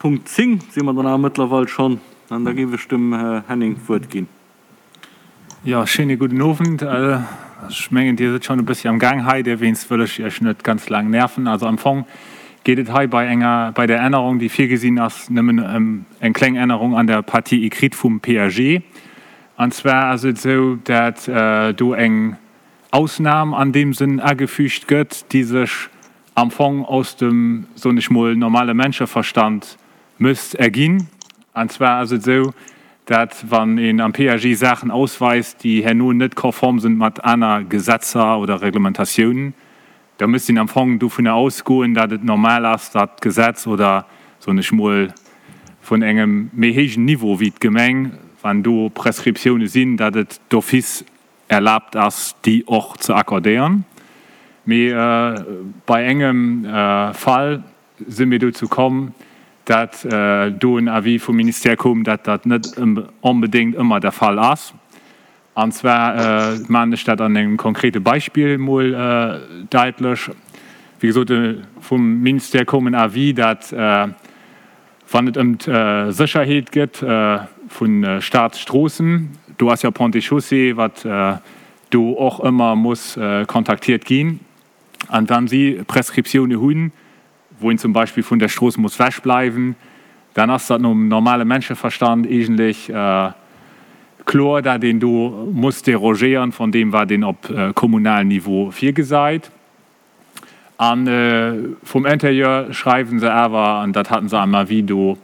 Punkt 10 si mer dann awer mëttlerweil schonn. An da géif ech dem Här Henning d'Wuert ginn. Jo, schéine gudden Owend. Ech mengen, Dir sidd schonn e bëssi am Gaang hei, derwéinst wëll ech Iech net ganz laang nerven. Also am Fong geet et hei bei enger, bei der Ännerung, déi virgesinn ass, nëmmen ëm eng kleng Ännerung an der Partie écrite vum PAG. An zwar ass et esou, dat do eng Ausnam an deem Sënn agefügt gëtt, déi sech am Fong aus dem, soen ech mol, normale Menscheverstand müsst erginn. An zwar ass et esou, dat wann een am PAG Saachen ausweist, déi herno net konform sinn mat aner Gesetzer oder Reglementatiounen, da müsst een am Fong dovunner ausgoen, dat et normal ass, dat d'Gesetz oder, soen ech mol, vun engem méi héijen Niveau wéi d'Gemeng, wann do Prescriptiounen sinn, dat et d'office erlaabt ass, déi och ze accordéieren. Mee bei engem Fall si mir dozou komm, dat do en Avis vum Ministère koum, dat dat net onbedéngt ëmmer der Fall ass. An zwar maachen ech dat an engem konkrete Beispill emol daitlech. Wéi gesot, vum Ministère koum en Avis, dat wann et ëm d'Sécherheet geet vu Staatsstroossen, do ass jo Ponts et Chaussées, wat do och ëmmer muss kontaktiert ginn, an wann si Prescriptioune hunn, wou een zum Beispill vun der Strooss muss wechbleiwen, dann ass dat nom normale Menscheverstand eegentlech kloer, dat een do muss derogéieren von deem, wat een op kommunalen Niveau virgesait. A vum Interieur schreiwe se awer, an dat haten se am Avis do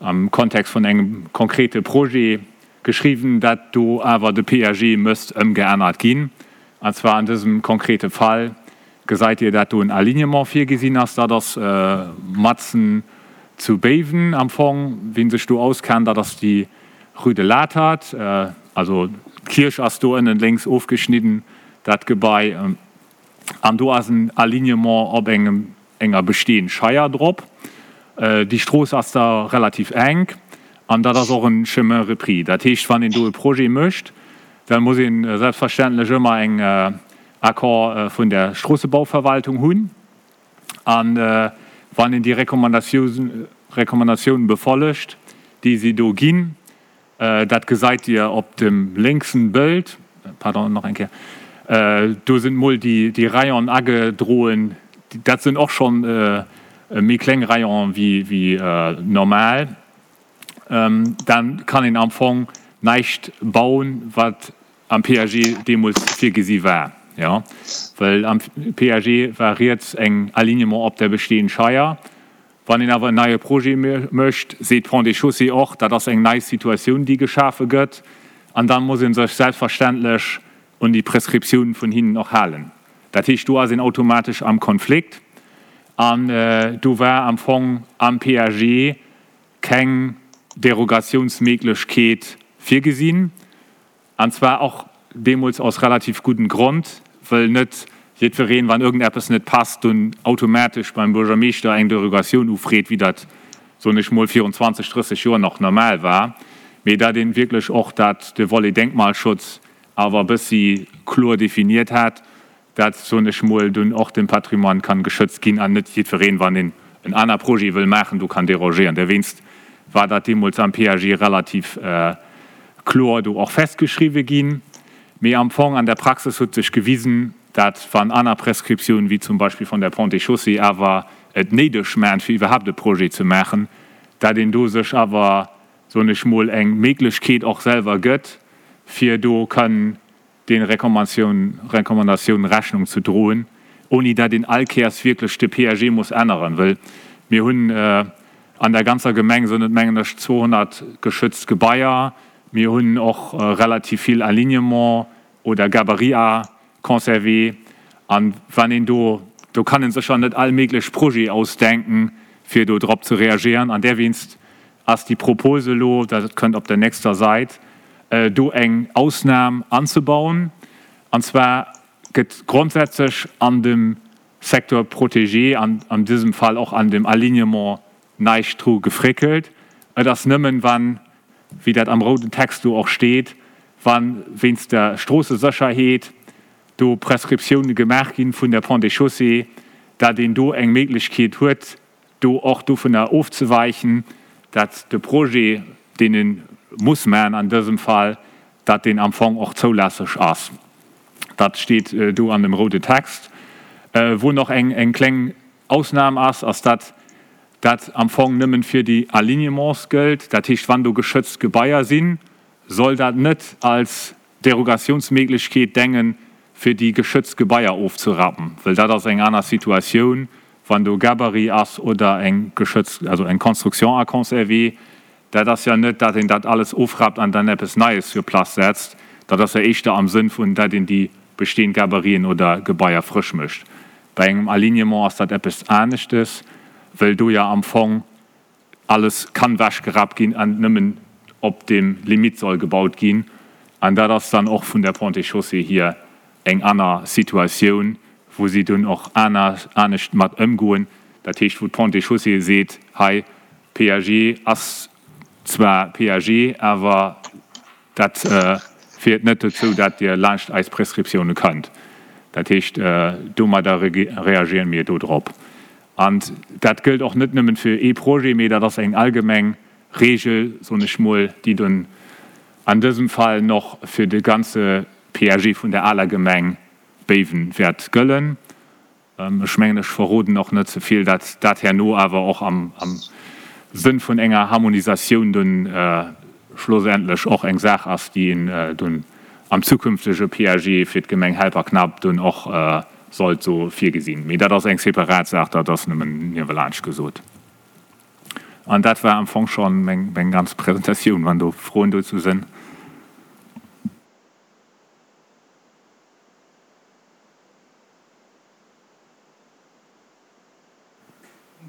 am Kontext vun engem konkrete Projet geschriwwen, dat do awer de PAG mësst ëmgeännert ginn. An zwar an dësem konkrete Fall gesait Dir, dat do en Alignement virgesinn ass. Dat ass matzen zu Béiwen am Fong. Wien sech do auskennt, dat ass déi Rue de l'Atert. Also d'Kierch ass do ënnen lénks ofgeschnidden, dat Gebai. An do ass en Alignement op engem, enger bestehend Scheier drop. Déi Strooss ass da relativ enk an dat ass och en Chemin repris. Dat heescht, wann een do e Projet mécht, da muss ee selbstverständlech ëmmer eng Accord vun der Stroossebauverwaltung hunn. An wann een déi Recommandatiounen befollegt, déi si do ginn, Dat gesait dir op dem lénksen Bëld, pardon, nach eng Kéier, do sinn mol déi Rayonen agedroen, dat sinn och schonn méi kleng Rayonen wéi normal. Dann kann een am Fong näischt bauen, wat am PAG deemools virgesi war, jo, well am PAG war riets eng Alignement op der bestehend Scheier. Wann een awer en neie Projet mécht, seet d'Ponts et Chaussées och, dat ass eng nei Situatioun, déi geschafe gëtt, an da muss ee sech selbstverständlech un déi Prescriptioun vun hinnen och halen. Dat heescht, do ass een automatesch am Konflikt an do war am Fong am PAG keng Derogatiounsméiglechkeet virgesinn. An zwar och deemools aus relativ gudden Grond, wëll net jiddwereen, wann irgendeppes net passt, dunn automatesch beim Buergermeeschter eng Derogatioun ufreet, wéi dat, soen ech mol, virun 20, 30 Joer nach normal war, mee dat een wierklech och dat, de Volet Denkmalschutz awer e bëssi kloer definiert hat, dat, soen ech mol, dunn och den Patrimoine kann geschützt ginn an net jiddwereen, wann een en aner Projet wëll maachen, do kann dérogéieren. Derwéinst war dat deemools am PAG relativ kloer do och festgeschriwwen ginn. Mee am Fong an der Praxis huet sech gewisen, dat wann aner Prescriptiounen, wéi zum Beispill von der Ponts et Chaussées, awer et néideg maan, fir iwwerhaapt e Projet ze maachen, dat een do sech awer, soen ech mol, eng Méiglechkeet och selwer gëtt, fir do kann den Recommandatiounen Rechnung ze droen, ouni dat een all Kéiers wierklech de PAG muss änneren, wëll mir hunn an der ganzer Gemeng, sinn et mengen ech 200 geschützt Gebaier, mir hunn och relativ vill Alignement oder Gabarit à conserver an wann een do, do kann een sécher net all méiglech Projet ausdenken, fir do drop ze reagieren an derwéinst ass déi Propose elo, dat kënnt op der nächster Sait, do eng Ausnam anzebauen. An zwar gëtt grondsätzlech an dem Secteur protégé, an an dësem Fall och an dem Alignement, näischt dru gefréckelt. Et ass nëmmen, wann, wéi dat am rouden Text do och steet, wa wéinst der Stroossesécherheet do Prescriptiounen gemaach gi vun der Ponts et Chaussées, dat een do eng Méiglechkeet huet. do och dovunner ofzeweichen, dat de Projet, deen ee muss maachen an dësem Fall, dat deen am Fong och zoulässeg ass. Dat steet do an dem roude Text. Wou nach eng kleng Ausnam ass, ass dat dat am Fong nëmmen fir déi Alignements gëllt. Dat heescht, wann do geschützt Gebaier sinn, soll dat net als Derogationsméiglechkeet dengen, fir déi geschützt Gebaier ofzerappen, well dat ass eng aner Situatioun, wann do Gabarit ass oder eng geschützt, also eng Construction à conserver. Dat ass jo net, dat een dat alles ofrappt an dann eppes Neies sur place setzt. Dat ass jo éischter am Sënn vun, dat een déi bestehend Gabariten oder Gebaier frësch mécht. Bei engem Alignement ass dat eppes aneschtes, well do jo am Fong alles kann wechgerappt ginn an nëmmen op dem Limite soll gebaut ginn. An dat ass dann och vun der Ponts et Chaussées hier eng aner Situatioun, wou si dunn och aner, anescht mat ëmgoen. Dat heescht, wou d'Ponts et Chaussées seet, hei, PAG ass zwar PAG, awer dat féiert net dozou, dat Dir laanscht eis Prescriptioune kënnt. Dat heescht, domadder reagieren mir do drop. An dat gëllt och net nëmmen fir ee Projet, mee dat ass eng allgemeng Regel, soen ech mol, déi dunn an dësem Fall noch fir de ganze PAG vun der aler Gemeng Béiwen wäert gëllen. Ech mengen, ech verroden och net ze vill, dat dat herno awer och am Sënn vun enger Harmonisatioun dunn schlussendlech och eng Saach ass, déi een dunn am zukünftege PAG fir d'Gemeng Helperknapp dunn och sollt esou virgesinn. Mee dat ass eng separat Saach, dat ass nëmmen niewelaanscht gesot. An dat war am Fong scho meng ganz Presentatioun, wann do Froen dozou sënn.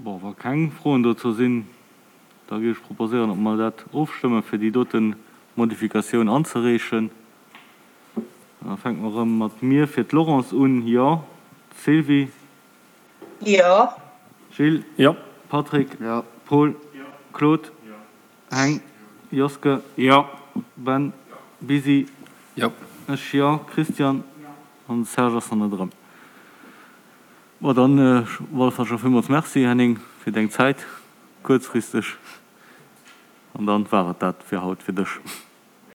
Bon, wa keng Froen dozou sinn, da géif ech proposéieren, datt mer dat ofstëmmen, fir déi dote Modifikatioun anzereechen. Da fänke mer erëm mat mir fir d'Laurence un. Jo. D'Sylvie? Jo. Gilles? Jo. Patrick? Jo. Paul? Jo. Claude? Jo. Heng? Joske? Jo. Ben? Busy? Jo. Ech jo. Christian? Jo. An de Serge ass nach net erëm. Bon, dann op alle Fall scho villmools Merci, Henning, fir deng Zäit, kuerzfristeg. An dann war et dat fir haut fir dech.